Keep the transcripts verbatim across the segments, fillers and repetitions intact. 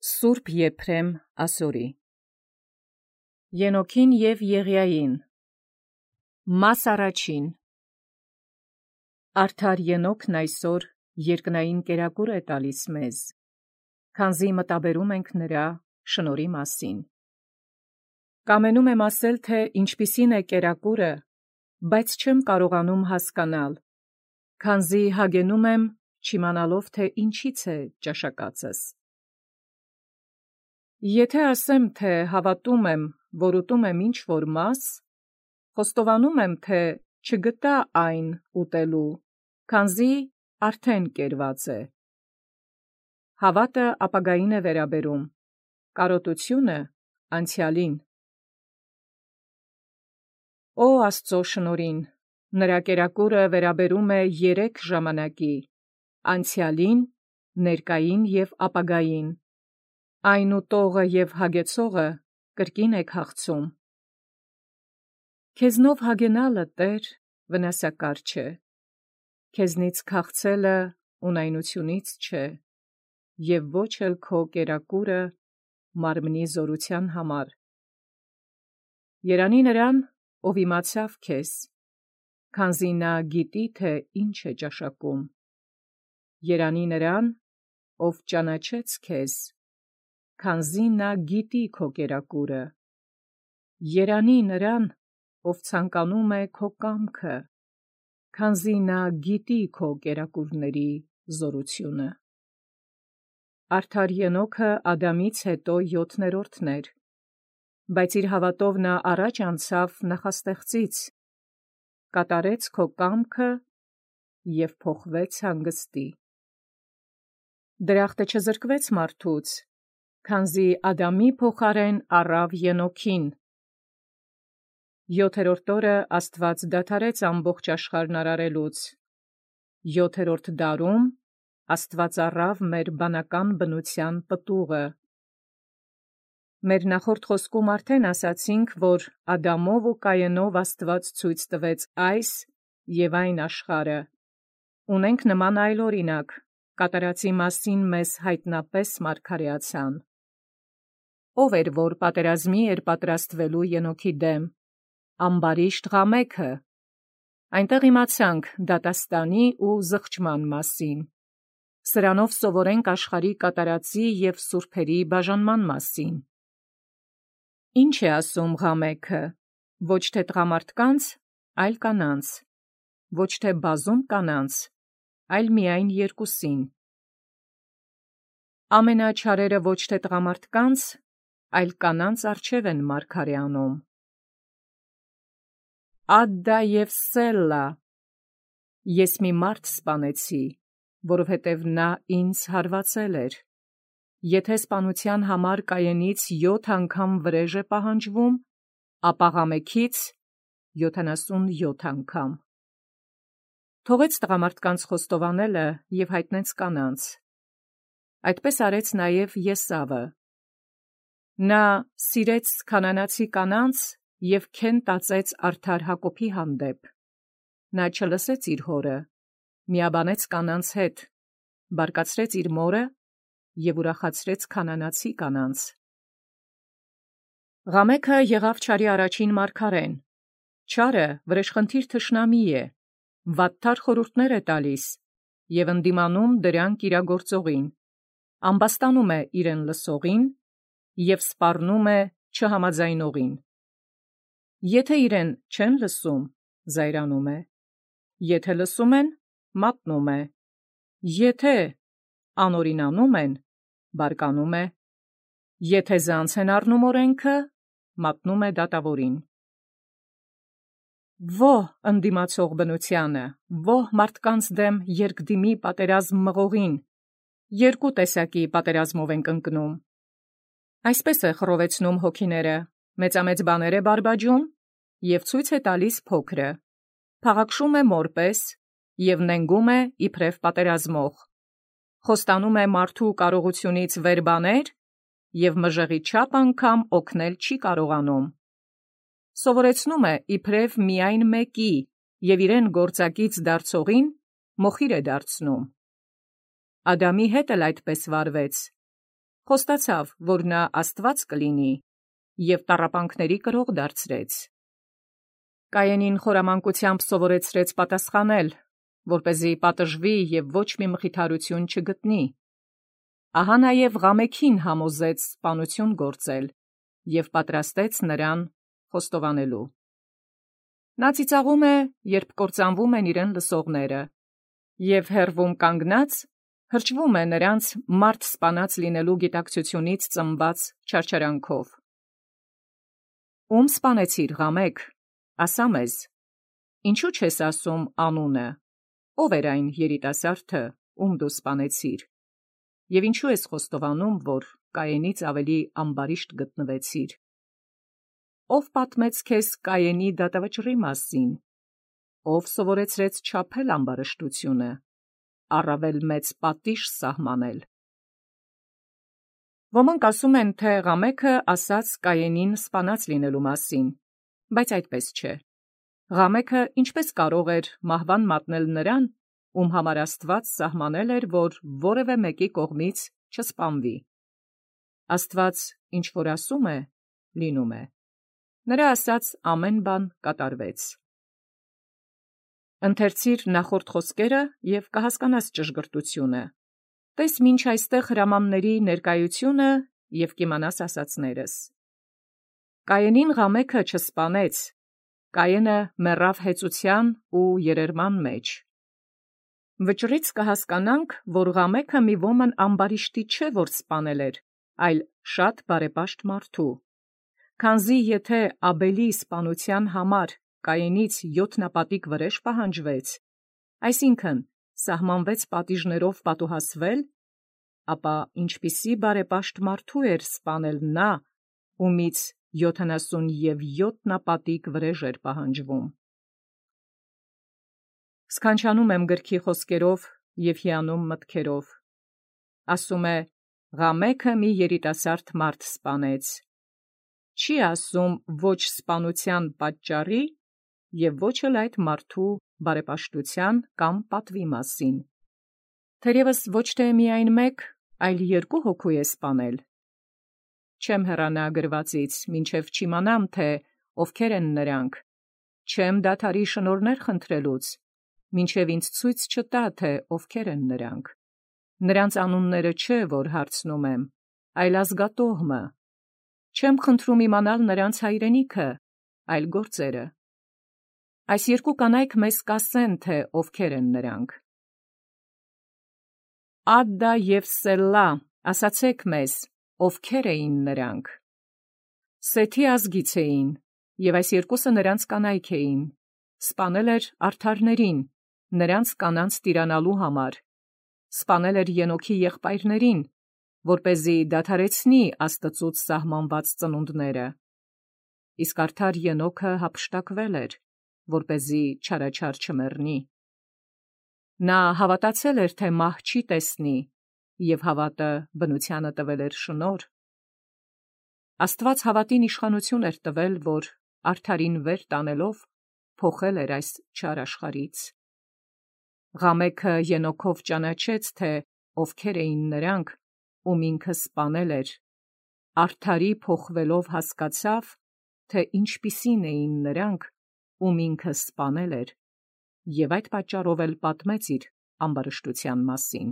Սուրբ Եփրեմ ասորի Ենոքին և Եղիային Մաս առաջին Արդար Ենոքն այսօր երկնային կերակուր է տալիս մեզ, քանզի մտաբերում ենք նրա շնորհի մասին։ Կամենում եմ ասել, թե ինչպիսին է կերակուրը, բայց չեմ կարողանում հասկանալ, քանզի հագենում եմ, չիմանալով, թե ինչից է ճաշակածս։ Եթե ասեմ, թե հավատում եմ, որ ուտում եմ ինչ-որ մաս, խոստովանում եմ, թե չգտա այն ուտելու, քանզի արդեն կերված է։ Հավատը ապագային է վերաբերում, կարոտությունը անցյալին։ Օ Աստծո շնորհին, նրա կերակուրը վերաբերում է երեք ժամանակի, անցյալին, ներկային և ապագային։ Այն ուտողը և հագեցողը կրկին է քաղցում։ Քեզնով հագենալը, Տեր, վնասակար չէ, քեզնից քաղցելը ունայնությունից չէ, և ոչ էլ քո կերակուրը մարմնի զորության համար։ Երանի նրան, ով իմացավ քեզ, քանզի նա գիտի, թե ինչ է ճաշակում։ Երանի նրան, ով ճանաչեց քեզ, քանզի նա գիտի քո կերակուրը։ Երանի նրան, ով ցանկանում է քո կամքը, քանզի նա գիտի քո կերակուրների զորությունը։ Արդար Ենոքը Ադամից հետո յոթներորդն էր, բայց իր հավատով նա առաջ անցավ նախաստեղծից, կատարեց քո կամքը և փոխվեց հանգստի։ Դրախտը չզրկվեց մարդուց, քանզի Ադամի փոխարեն առավ Ենոքին։ Յոթերորդ օրը Աստված դադարեց ամբողջ աշխարհն արարելուց։ Յոթերորդ դարում Աստված առավ մեր բանական բնության պտուղը։ Մեր նախորդ խոսքում արդեն ասացինք, որ Ադամով ու Կայենով Աստված ցույց տվեց այս և այն աշխարհը։ Ունենք նման այլ օրինակ, կատարածի մասին մեզ հայտնապես մարգարեացան։ Ո՞վ էր, որ պատերազմի էր պատրաստվելու Ենոքի դեմ։ Ամբարիշտ Ղամեքը։ Այնտեղ իմացանք դատաստանի ու զղջման մասին։ Սրանով սովորենք աշխարհի կատարածի և սուրբերի բաժանման մասին։ Ինչ է ասում Ղամեքը։ Ոչ թե տղամարդկանց, այլ կանանց, ոչ թե բազում կանանց, այլ միայն երկուսին։ Ամենաչարերը ոչ թե տղամարդկանց, այլ կանանց առջև են մարգարե անում։ Ադդա և Սելլա։ Ես մի մարդ սպանեցի, որովհետև նա ինձ հարվածել էր։ Եթե սպանության համար Կայենից յոթ անգամ վրեժ է պահանջվում, ապա Ղամեքից յոթանասունյոթ անգամ։ Թողեց տղամարդկանց խոստովանելը և հայտնեց կանանց։ Այդպես արեց նաև Եսավը։ Նա սիրեց քանանացի կանանց և քեն տածեց արդար Հակոբի հանդեպ։ Նա չլսեց իր հորը, միաբանեց կանանց հետ, բարկացրեց իր մորը և ուրախացրեց քանանացի կանանց։ Ղամեքը եղավ չարի առաջին մարգարեն։ Չարը վրեժխնդիր թշնամի է, վատթար խորհուրդներ է տալիս և ընդդիմանում դրանք իրագործողին, ամբաստանում է իրեն լսողին և սպառնում է չհամաձայնողին։ Եթե իրեն չեն լսում, զայրանում է, եթե լսում են, մատնում է, եթե անօրինանում են, բարկանում է, եթե ձանձ են առնում օրենքը, մատնում է դատավորին։ Ո՛հ ընդդիմացող բնությանը, ո՛հ մարդկանց դեմ երկդիմի պատերազմ մղողին, երկու տեսակի պատերազմով ենք ընկնում։ Այսպես է խռովեցնում հոգիները, մեծամեծ բաներ է բարբաջում և ցույց է տալիս փոքրը, փաղաքշում է մորպես և նենգում է իբրև պատերազմող, խոստանում է մարդու կարողությունից վեր բաներ և մժեղի չափ անգամ օգնել չի կարողանում։ Սովորեցնում է իբրև միայն մեկի և իրեն գործակից դարձողին մոխիր է դարձնում։ Ադամի հետ էլ այդպես վարվեց։ Խոստացավ, որ նա Աստված կլինի, և տառապանքների կրող դարձրեց։ Կայենին խորամանկությամբ սովորեցրեց պատասխանել, որպեսզի պատժվի և ոչ մի մխիթարություն չգտնի։ Ահա նաև Ղամեքին համոզեց սպանություն գործել և պատրաստեց նրան խոստովանելու։ Նա ծիծաղում է, երբ կործանվում են իրեն լսողները, և հեռվում կանգնած հրճվում է նրանց մարդ սպանած լինելու գիտակցությունից ծնված չարչարանքով։ Ում սպանեցիր, Ղամեք, ասա մեզ, ինչու չես ասում անունը, ով էր այն երիտասարդը, ում դու սպանեցիր, և ինչու ես խոստովանում, որ Կայենից ավելի ամբարիշտ գտնվեցիր։ Ով պատմեց քեզ Կայենի դատավճռի մասին, ով սովորեցրեց չափել ամբարշտությունը, առավել մեծ պատիժ սահմանել։ Ոմանք ասում են, թե Ղամեքը ասաց Կայենին սպանած լինելու մասին, բայց այդպես չէ։ Ղամեքը ինչպես կարող էր մահվան մատնել նրան, ում համար Աստված սահմանել էր, որ որևէ մեկի կողմից չսպանվի։ Աստված ինչ որ ասում է, լինում է։ Նրա ասած ամեն բան կատարվեց։ Ընթերցիր նախորդ խոսքերը և կհասկանաս ճշգրտությունը։ Տես մինչ այստեղ հրամանների ներկայությունը և կիմանաս ասածներս։ Կայենին Ղամեքը չսպանեց, Կայենը մեռավ հեծության ու երերման մեջ։ Վճռից կհասկանանք, որ Ղամեքը մի ոմն ամբարիշտի չէ, որ սպանել էր, այլ շատ բարեպաշտ մարդու։ Քանզի եթե Աբելի սպանության համար Կայենից յոթնապատիկ վրեժ պահանջվեց, այսինքն սահմանվեց պատիժներով պատուհասվել, ապա ինչպիսի բարեպաշտ մարդու էր սպանել նա, ումից յոթանասունևյոթ նապատիկ վրեժ էր պահանջվում։ Սքանչանում եմ գրքի խոսքերով և հիանում մտքերով։ Ասում է. Ղամեքը մի երիտասարդ մարդ սպանեց։ Չի ասում ոչ սպանության պատճառի և ոչ էլ այդ մարդու բարեպաշտության կամ պատվի մասին։ Թերևս ոչ թե միայն մեկ, այլ երկու հոգու է սպանել։ Չեմ հեռանա գրվածից, մինչև չիմանամ, թե ովքեր են նրանք, չեմ դադարի շնորհներ խնդրելուց, մինչև ինձ ցույց չտա, թե ովքեր են նրանք։ Նրանց անունները չէ, որ հարցնում եմ, այլ ազգատոհմը։ Չեմ խնդրում իմանալ նրանց հայրենիքը, այլ գործերը։ Այս երկու կանայք մեզ կասեն, թե ովքեր են նրանք։ Ադդա և Սելլա, ասացեք մեզ, ովքեր էին նրանք։ Սեթի ազգից էին, և այս երկուսը նրանց կանայք էին։ Սպանել էր արդարներին, նրանց կանանց տիրանալու համար, սպանել էր Ենոքի եղբայրներին, որպեսզի դադարեցնի Աստծուց սահմանված ծնունդները։ Իսկ արդար Ենոքը հափշտակվել էր, որպեսզի չարաչար չմեռնի։ Նա հավատացել էր, թե մահ չի տեսնի, և հավատը բնությանը տվել էր շնորհ։ Աստված հավատին իշխանություն էր տվել, որ արդարին վեր տանելով փոխել էր այս չար աշխարհից։ Ղամեքը Ենոքով ճանաչեց, թե ովքեր էին նրանք, ում ինքը սպանել էր, արդարի փոխվելով հասկացավ, թե ինչպիսին էին նրանք, ում ինքը սպանել էր, և այդ պատճառով էլ պատմեց իր ամբարշտության մասին։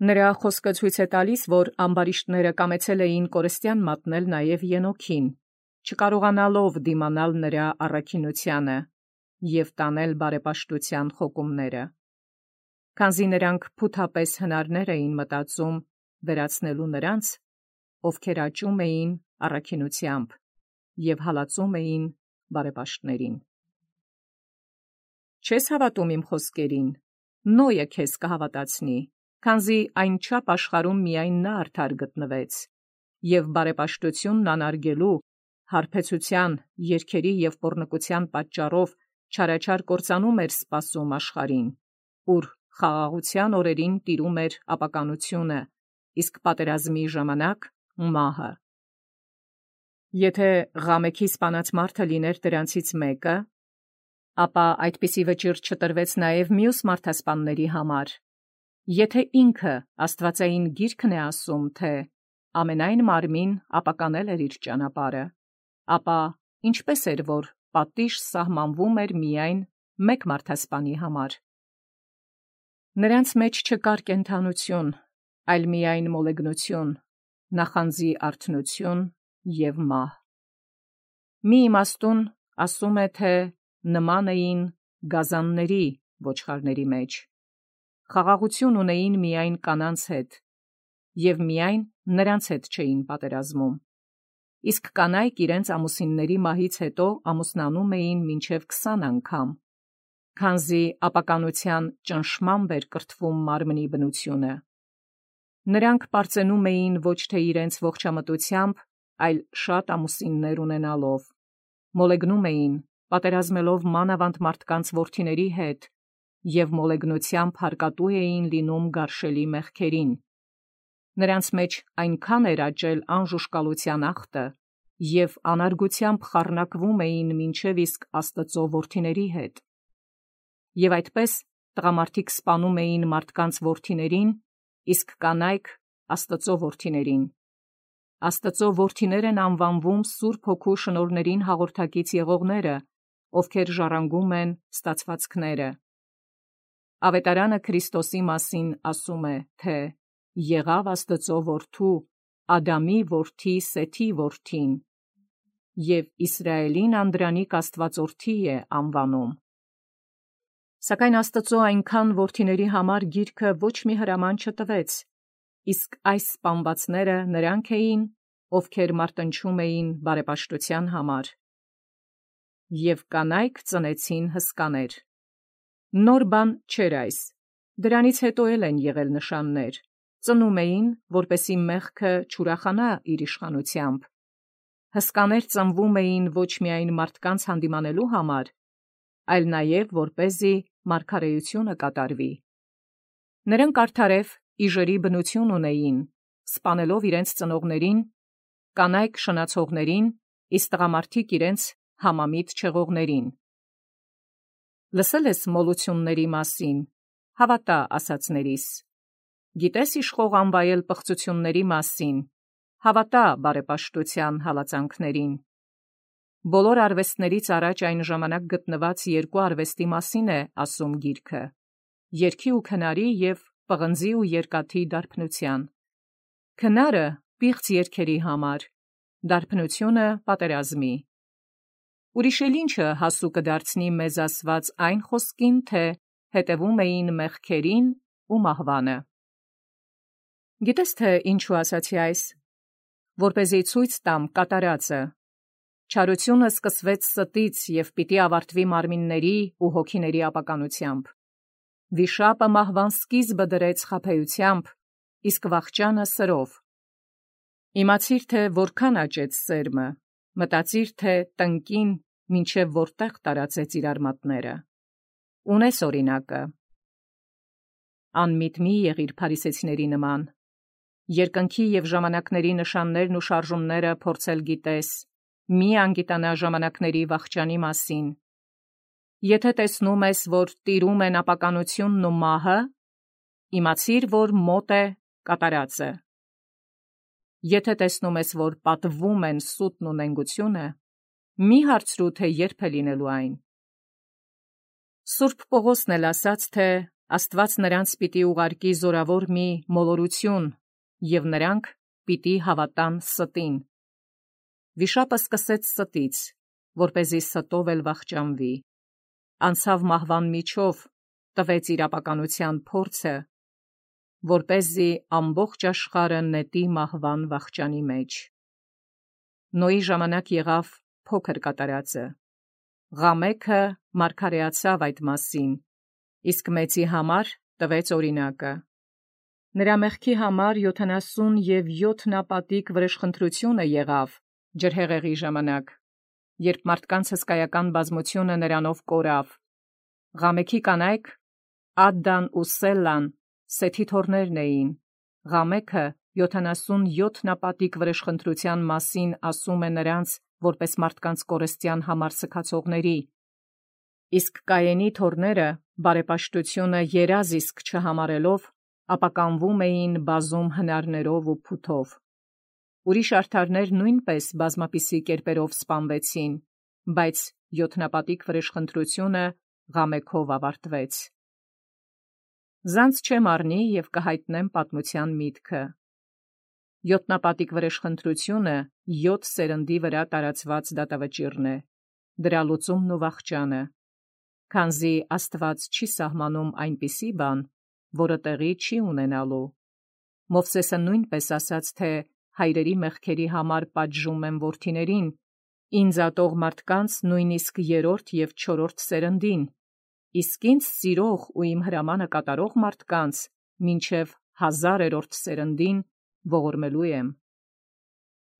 Նրա խոսքը ցույց է տալիս, որ ամբարիշտները կամեցել էին կորստյան մատնել նաև Ենոքին, չկարողանալով դիմանալ նրա առաքինությանը և տանել բարեպաշտության խոկումները, քանզի նրանք փութապես հնարներ էին մտածում վերացնելու նրանց, ովքեր աճում էին առաքինությամբ և հալածում էին բարեպաշտներին։ Չես հավատում իմ խոսքերին, Նոյը քեզ կհավատացնի, քանզի այնչափ աշխարհում միայն նա արդար գտնվեց, և բարեպաշտությունն անարգելու, հարբեցության, երգերի և պոռնկության պատճառով չարաչար կործանում էր սպասում աշխարհին, ուր խաղաղության օրերին տիրում էր ապականությունը, իսկ պատերազմի ժամանակ մահը։ Եթե Ղամեքի սպանած մարդը լիներ դրանցից մեկը, ապա այդպիսի վճիռ չտրվեց նաև մյուս մարդասպանների համար, Եթե ինքը աստվածային գիրքն է ասում, թե ամենայն մարմին ապականել էր իր ճանապարհը, ապա ինչպես էր, որ պատիժ սահմանվում էր միայն մեկ մարդասպանի համար։ Նրանց մեջ չկար կենդանություն, այլ միայն մոլեգնություն, նախանձի արթնություն և մահ։ Մի իմաստուն ասում է, թե նման էին գազանների ոչխարների մեջ, խաղաղություն ունեին միայն կանանց հետ, և միայն նրանց հետ չէին պատերազմում, իսկ կանայք իրենց ամուսինների մահից հետո ամուսնանում էին մինչև քսան անգամ, քանզի ապականության ճնշմամբ էր կրթվում մարմնի բնությունը։ Նրանք պարծենում էին ոչ թե իրենց ողջամտությամբ, այլ շատ ամուսիններ ունենալով, մոլեգնում էին, պատերազմելով մանավանդ մարդկանց որդիների հետ, և մոլեգնությամբ հարկատու էին լինում գարշելի մեղքերին։ Նրանց մեջ այնքան էր աճել անժուշկալության ախտը, և անարգությամբ խառնակվում էին մինչև իսկ Աստծո որդիների հետ։ Եվ այդպես տղամարդիկ սպանում էին մարդկանց որդիներին, իսկ կանայք Աստծո որդիներին։ Աստծո որդիներ են անվանվում Սուրբ Հոգու շնորհներին հաղորդակից եղողները, ովքեր ժառանգում են ստացվածքները։ Ավետարանը Քրիստոսի մասին ասում է, թե եղավ Աստծո որդու, Ադամի որդի Սեթի որդին, և Իսրայելին անդրանիկ Աստվածորդի է անվանում։ Սակայն Աստծո այնքան որդիների համար գիրքը ոչ մի հրաման չտվեց, իսկ այս սպանվածները նրանք էին, ովքեր մարտնչում էին բարեպաշտության համար։ Եվ կանայք ծնեցին հսկաներ։ Նոր բան չէր այս, դրանից հետո էլ են եղել նշաններ, ծնում էին, որպեսզի մեղքը չուրախանա իր իշխանությամբ։ Հսկաներ ծնվում էին ոչ միայն մարդկանց հանդիմանելու համար, այլ նաև որպեսզի մարգարեությունը կատարվի։ Նրանք արդարև իժերի բնություն ունեին, սպանելով իրենց ծնողներին, կանայք շնացողներին, իսկ տղամարդիկ իրենց համամիտ չեղողներին։ Լսել ես մոլությունների մասին, հավատա ասածներիս։ Գիտես իշխող անվայել պղծությունների մասին, հավատա բարեպաշտության հալածանքներին։ Բոլոր արվեստներից առաջ այն ժամանակ գտնված երկու արվեստի մասին է ասում գիրքը՝ երգի ու քնարի և պղնձի ու երկաթի դարբնության։ Քնարը պիղծ երգերի համար, դարբնությունը պատերազմի։ Ուրիշ էլ ինչը հասու կդարձնի մեզ ասված այն խոսքին, թե հետևում էին մեղքերին ու մահվանը։ Գիտես թե ինչու ասացի այս, որպեսզի ցույց տամ կատարածը։ Չարությունը սկսվեց ստից և պիտի ավարտվի մարմինների ու հոգիների ապականությամբ։ Վիշապը մահվան սկիզբը դրեց խաբեությամբ, իսկ վախճանը սրով։ Իմացիր, թե որքան աճեց սերմը, մտածիր, թե տնկին մինչև որտեղ տարածեց իր արմատները։ Ունես օրինակը։ Անմիտ մի եղիր փարիսեցիների նման։ Երկնքի և ժամանակների նշաններն ու շարժումները փորձել գիտես, մի անգիտանա ժամանակների վախճանի մասին։ Եթե տեսնում ես, որ տիրում են ապականությունն ու մահը, իմացիր, որ մոտ է կատարածը։ Եթե տեսնում ես, որ պատվվում են սուտն ու նենգությունը, մի հարցրու, թե երբ է լինելու այն։ Սուրբ Պողոսն էլ ասաց, թե Աստված նրանց պիտի ուղարկի զորավոր մի մոլորություն, և նրանք պիտի հավատան ստին։ Վիշապը սկսեց ստից, որպեսզի ստով էլ վախճանվի։ Անցավ մահվան միջով, տվեց իր ապականության փորձը, որպեսզի ամբողջ աշխարհը նետի մահվան վախճանի մեջ։ Նոյի ժամանակ եղավ փոքր կատարածը։ Ղամեքը մարգարեացավ այդ մասին, իսկ մեծի համար տվեց օրինակը։ Նրա մեղքի համար յոթանասուն և յոթ նապատիկ վրեժխնդրությունը եղավ ջրհեղեղի ժամանակ, երբ մարդկանց հսկայական բազմությունը նրանով կորավ։ Ղամեքի կանայք Ադդան ու Սելլան Սեթի թոռներն էին։ Ղամեքը յոթանասուն յոթ նապատիկ վրեժխնդրության մասին ասում է նրանց, որպես մարդկանց կորստյան համար սգացողների, իսկ Կայենի թոռները բարեպաշտությունը երազ իսկ չհամարելով ապականվում էին բազում հնարներով ու փութով։ Ուրիշ արդարներ նույնպես բազմապիսի կերպերով սպանվեցին, բայց յոթնապատիկ վրեժխնդրությունը ղամեքով ավարտվեց։ Զանց չեմ առնի և կհայտնեմ պատմության միտքը։ Յոթնապատիկ վրեժխնդրությունը յոթ սերնդի վրա տարածված դատավճիռն է, դրա լուծումն ու վախճանը, քանզի Աստված չի սահմանում այնպիսի բան, որը տեղի չի ունենալու։ Մովսեսը նույնպես ասաց, թե հայրերի մեղքերի համար պատժում եմ որդիներին, ինձ ատող մարդկանց նույնիսկ երրորդ և չորրորդ սերնդին, իսկ ինձ սիրող ու իմ հրամանը կատարող մարդկանց մինչև հազարերորդ սերնդին ողորմելու եմ։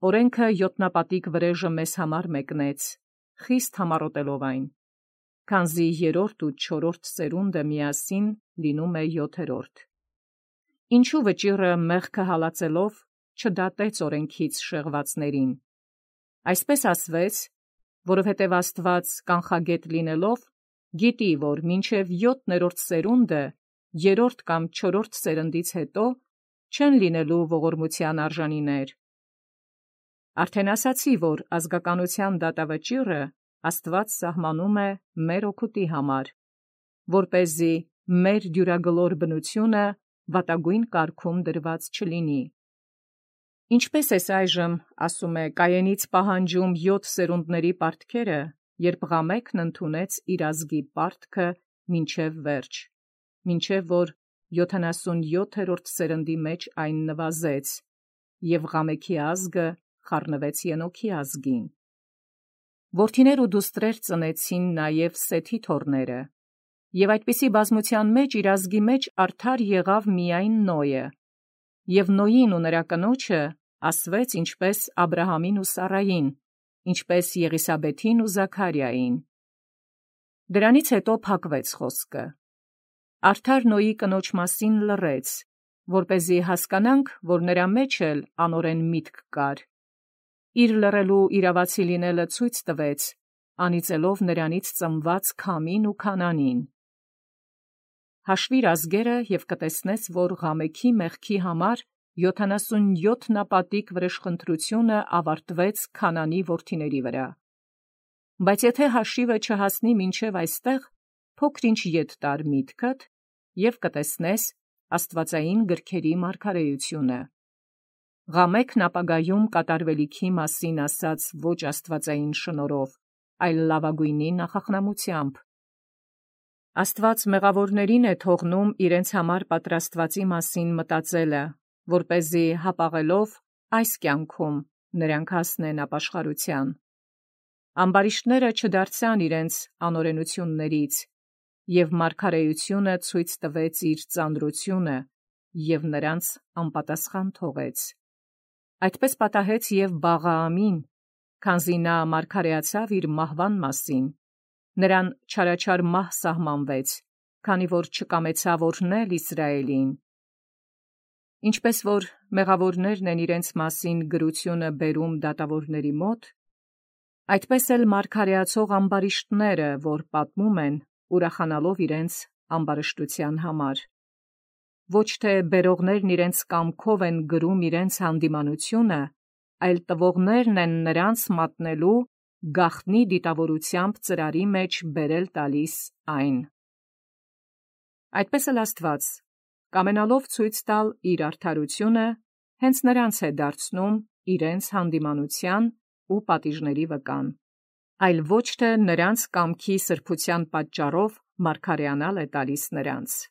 Օրենքը յոթնապատիկ վրեժը մեզ համար մեկնեց, խիստ համառոտելով այն, քանզի երրորդ ու չորրորդ սերունդը միասին լինում է յոթերորդ։ Ինչու վճիռը մեղքը հալածելով չդատեց օրենքից շեղվածներին։ Այսպես ասվեց, որովհետև Աստված կանխագետ լինելով, գիտի, որ մինչև յոթներորդ սերունդը երրորդ կամ չորրորդ սերնդից հետո չեն լինելու ողորմության արժանիներ։ Արդեն ասացի, որ ազգականության դատավճիռը Աստված սահմանում է մեր օգուտի համար, որպեսզի մեր դյուրագլոր բնությունը վատագույն կարգում դրված չլինի։ Ինչպես ես այժմ, ասում է, Կայենից պահանջում յոթ սերունդների պարտքերը, երբ Ղամեքն ընդունեց իր ազգի պարտքը մինչև վերջ, մինչև որ յոթանասունյոթերորդ սերնդի մեջ այն նվազեց, և Ղամեքի ազգը խառնվեց Ենոքի ազգին։ Որդիներ ու դուստրեր ծնեցին նաև Սեթի թոռները, և այդպիսի բազմության մեջ իր ազգի մեջ արդար եղավ միայն Նոյը, և Նոյին ու նրա կնոջը ասվեց ինչպես Աբրահամին ու Սառային, ինչպես Եղիսաբեթին ու Զաքարիային։ Դրանից հետո փակվեց խոսքը։ Արդար Նոյի կնոջ մասին լռեց, որպեսզի հասկանանք, որ նրա մեջ էլ անօրեն միտք կար։ Իր լռելու իրավացի լինելը ցույց տվեց, անիծելով նրանից ծնված Քամին ու Քանանին։ Հաշվիր ազգերը և կտեսնես, որ Ղամեքի մեղքի համար յոթանասունյոթնապատիկ վրեժխնդրությունը ավարտվեց Քանանի որդիների վրա։ Բայց եթե հաշիվը չհասնի մինչև այստեղ, փոքր-ինչ ետ տար միտքդ և կտեսնես աստվածային գրքերի մարգարեությունը։ Ղամեքն ապագայում կատարվելիքի մասին ասաց ոչ աստվածային շնորհով, այլ լավագույնի նախախնամությամբ։ Աստված մեղավորներին է թողնում իրենց համար պատրաստվածի մասին մտածելը, որպեսզի հապաղելով այս կյանքում նրանք հասնեն ապաշխարության։ Ամբարիշտները չդարձան իրենց անօրենություններից, և մարգարեությունը ցույց տվեց իր ծանրությունը և նրանց անպատասխան թողեց։ Այդպես պատահեց և Բաղաամին, քանզի նա մարգարեացավ իր մահվան մասին, նրան չարաչար մահ սահմանվեց, քանի որ չկամեցավ օրհնել Իսրայելին։ Ինչպես որ մեղավորներն են իրենց մասին գրությունը բերում դատավորների մոտ, այդպես էլ մարգարեացող ամբարիշտները, որ պատմում են, ուրախանալով իրենց ամբարշտության համար։ Ոչ թե բերողներն իրենց կամքով են գրում իրենց հանդիմանությունը, այլ տվողներն են նրանց մատնելու գաղտնի դիտավորությամբ ծրարի մեջ բերել տալիս այն։ Այդպես էլ Աստված, կամենալով ցույց տալ իր արդարությունը, հենց նրանց է դարձնում իրենց հանդիմանության ու պատիժների վկան, այլ ոչ թե նրանց կամքի սրբության պատճառով մարգարեանալ է տալիս նրանց։